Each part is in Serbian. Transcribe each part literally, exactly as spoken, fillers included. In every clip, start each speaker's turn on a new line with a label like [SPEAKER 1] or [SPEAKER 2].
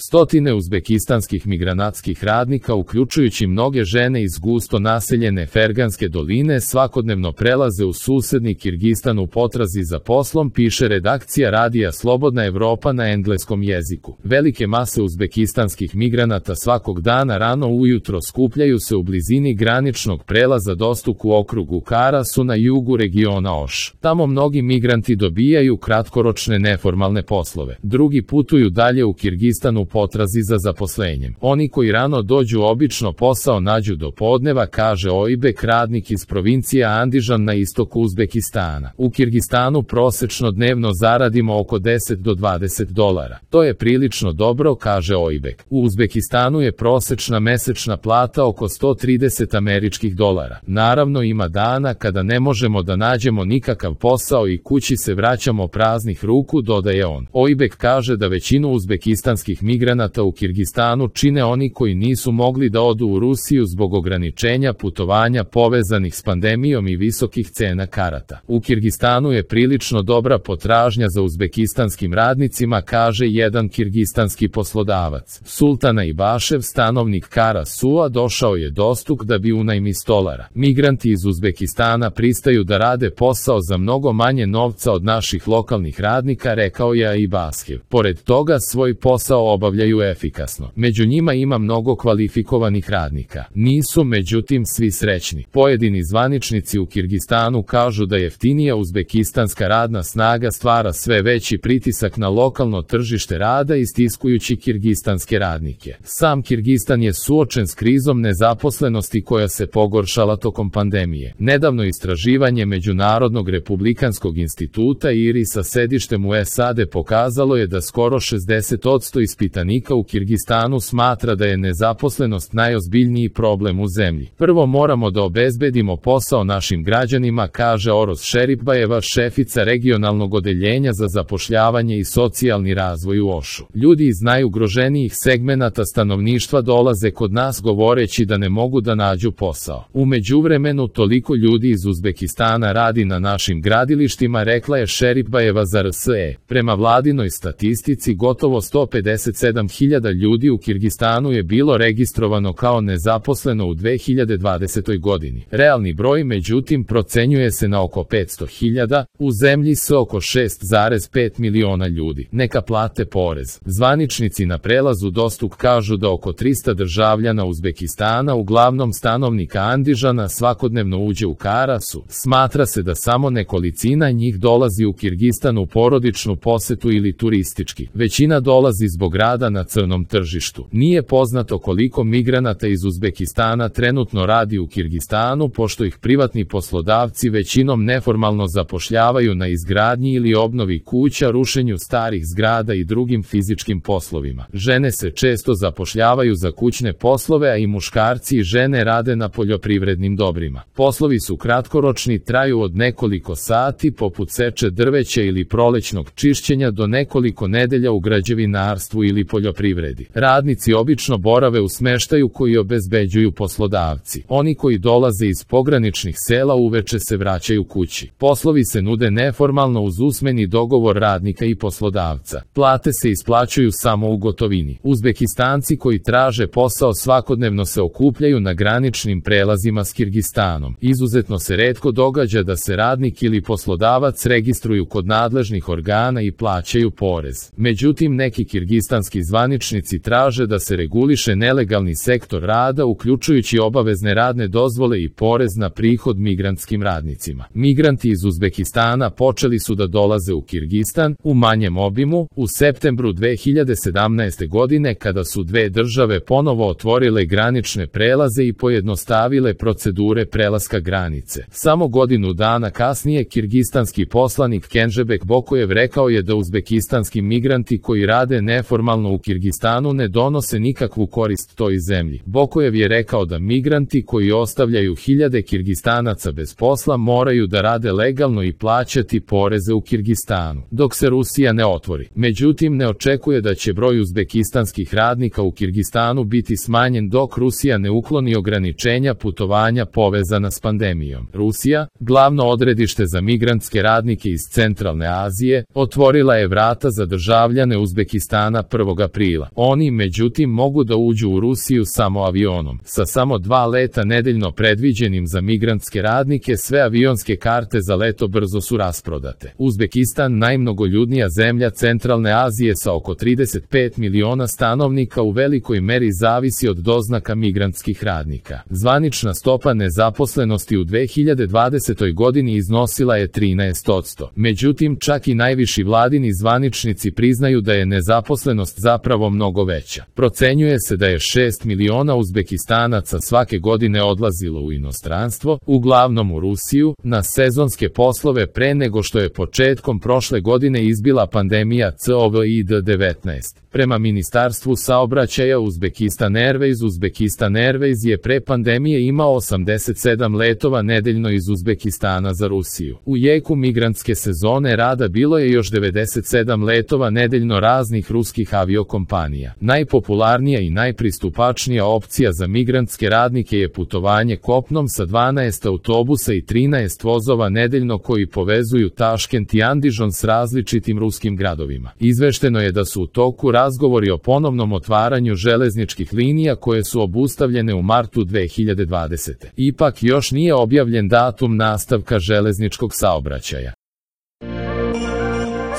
[SPEAKER 1] Stotine uzbekistanskih migranatskih radnika, uključujući mnoge žene iz gusto naseljene Ferganske doline, svakodnevno prelaze u susedni Kirgistan u potrazi za poslom, piše redakcija radija Slobodna Evropa na engleskom jeziku. Velike mase uzbekistanskih migranata svakog dana rano ujutro skupljaju se u blizini graničnog prelaza Dostuk u okrugu Karasu na jugu regiona Oš. Tamo mnogi migranti dobijaju kratkoročne neformalne poslove. Drugi putuju dalje u Kirgistan u potrazi za zaposlenjem. Oni koji rano dođu obično posao nađu do podneva, kaže Ojbek, radnik iz provincije Andižan na istoku Uzbekistana. U Kirgistanu prosečno dnevno zaradimo oko deset do dvadeset dolara. To je prilično dobro, kaže Ojbek. U Uzbekistanu je prosečna mesečna plata oko sto trideset američkih dolara. Naravno, ima dana kada ne možemo da nađemo nikakav posao i kući se vraćamo praznih ruku, dodaje on. Ojbek kaže da većinu uzbekistanskih migranata u Kirgistanu čine oni koji nisu mogli da odu u Rusiju zbog ograničenja putovanja povezanih s pandemijom i visokih cena karata. U Kirgistanu je prilično dobra potražnja za uzbekistanskim radnicima, kaže jedan kirgistanski poslodavac. Sultana Ibašev, stanovnik Karasua, došao je Dostuk da bi unajmi stolara. Migranti iz Uzbekistana pristaju da rade posao za mnogo manje novca od naših lokalnih radnika, rekao je Ibašev. Pored toga, svoj posao obavljaju efikasno. Među njima ima mnogo kvalifikovanih radnika. Nisu, međutim, svi srećni. Pojedini zvaničnici u Kirgistanu kažu da jeftinija uzbekistanska radna snaga stvara sve veći pritisak na lokalno tržište rada, istiskujući kirgistanske radnike. Sam Kirgistan je suočen s krizom nezaposlenosti koja se pogoršala tokom pandemije. Nedavno istraživanje Međunarodnog republikanskog instituta I R I sa sedištem u S A D pokazalo je da skoro šezdeset posto ispitanika u Kirgistanu smatra da je nezaposlenost najozbiljniji problem u zemlji. Prvo moramo da obezbedimo posao našim građanima, kaže Oros Šeripbajeva, šefica regionalnog odeljenja za zapošljavanje i socijalni razvoj u Ošu. Ljudi iz najugroženijih segmenata stanovništva dolaze kod nas govoreći da ne mogu da nađu posao. U međuvremenu toliko ljudi iz Uzbekistana radi na našim gradilištima, rekla je Šeripbajeva za R S E. Prema vladinoj statistici, gotovo sto pedeset sedam hiljada ljudi u Kirgistanu je bilo registrovano kao nezaposleno u dve hiljade dvadesetoj godini. Realni broj, međutim, procenjuje se na oko petsto hiljada, u zemlji s oko šest zarez pet miliona ljudi. Neka plate porez. Zvaničnici na prelazu Dostuk kažu da oko trista državljana Uzbekistana, uglavnom stanovnika Andižana, svakodnevno uđe u Karasu. Smatra se da samo nekolicina njih dolazi u Kirgistan u porodičnu posetu ili turistički. Većina dolazi zbog rada na crnom tržištu. Nije poznato koliko migranata iz Uzbekistana trenutno radi u Kirgistanu, pošto ih privatni poslodavci većinom neformalno zapošljavaju na izgradnji ili obnovi kuća, rušenju starih zgrada i drugim fizičkim poslovima. Žene se često zapošljavaju za kućne poslove, a i muškarci i žene rade na poljoprivrednim dobrima. Poslovi su kratkoročni, traju od nekoliko sati, poput seče drveća ili prolećnog čišćenja, do nekoliko nedelja u građevinarstvu ili poljoprivredi. Radnici obično borave u smeštaju koji obezbeđuju poslodavci. Oni koji dolaze iz pograničnih sela uveče se vraćaju kući. Poslovi se nude neformalno uz usmeni dogovor radnika i poslodavca. Plate se isplaćuju samo u gotovini. Uzbekistanci koji traže posao svakodnevno se okupljaju na graničnim prelazima s Kirgistanom. Izuzetno se retko događa da se radnik ili poslodavac registruju kod nadležnih organa i plaćaju porez. Međutim, neki kirgistanski zvaničnici traže da se reguliše nelegalni sektor rada, uključujući obavezne radne dozvole i porez na prihod migrantskim radnicima. Migranti iz Uzbekistana počeli su da dolaze u Kirgistan u manjem obimu u septembru dve hiljade sedamnaeste. godine, kada su dve države ponovo otvorile granične prelaze i pojednostavile procedure prelaska granice. Samo godinu dana kasnije kirgistanski poslanik Kenžebek Bokojev rekao je da uzbekistanski migranti koji rade neformalno u Kirgistanu ne donose nikakvu korist toj zemlji. Bokojev je rekao da migranti koji ostavljaju hiljade Kirgistanaca bez posla moraju da rade legalno i plaćati poreze u Kirgistanu, dok se Rusija ne otvori. Međutim, ne očekuje da će broj uzbekistanskih radnika u Kirgistanu biti smanjen dok Rusija ne ukloni ograničenja putovanja povezana s pandemijom. Rusija, glavno odredište za migrantske radnike iz Centralne Azije, otvorila je vrata za državljane Uzbekistana prvog prvog aprila. Oni, međutim, mogu da uđu u Rusiju samo avionom. Sa samo dva leta nedeljno predviđenim za migrantske radnike, sve avionske karte za leto brzo su rasprodate. Uzbekistan, najmnogoljudnija zemlja centralne Azije sa oko trideset pet miliona stanovnika, u velikoj meri zavisi od doznaka migrantskih radnika. Zvanična stopa nezaposlenosti u dve hiljade dvadesetoj godini iznosila je trinaest posto. Međutim, čak i najviši vladini zvaničnici priznaju da je nezaposlenost zapravo mnogo veća. Procenjuje se da je šest miliona Uzbekistanaca svake godine odlazilo u inostranstvo, uglavnom u Rusiju, na sezonske poslove pre nego što je početkom prošle godine izbila pandemija kovid devetnaest. Prema Ministarstvu saobraćaja Uzbekistan Airways, Uzbekistan Airways je pre pandemije imao osamdeset sedam letova nedeljno iz Uzbekistana za Rusiju. U jeku migrantske sezone rada bilo je još devedeset sedam letova nedeljno raznih ruskih aviokompanija. Najpopularnija i najpristupačnija opcija za migrantske radnike je putovanje kopnom sa dvanaest autobusa i trinaest vozova nedeljno koji povezuju Taškent i Andižon s različitim ruskim gradovima. Izvešteno je da su u toku razgovori o ponovnom otvaranju železničkih linija koje su obustavljene u martu dve hiljade dvadesete. Ipak još nije objavljen datum nastavka železničkog saobraćaja.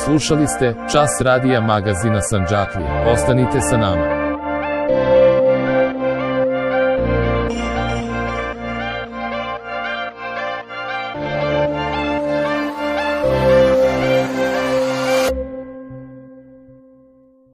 [SPEAKER 1] Slušali ste Čas radija magazina Sandžaklija. Ostanite sa nama.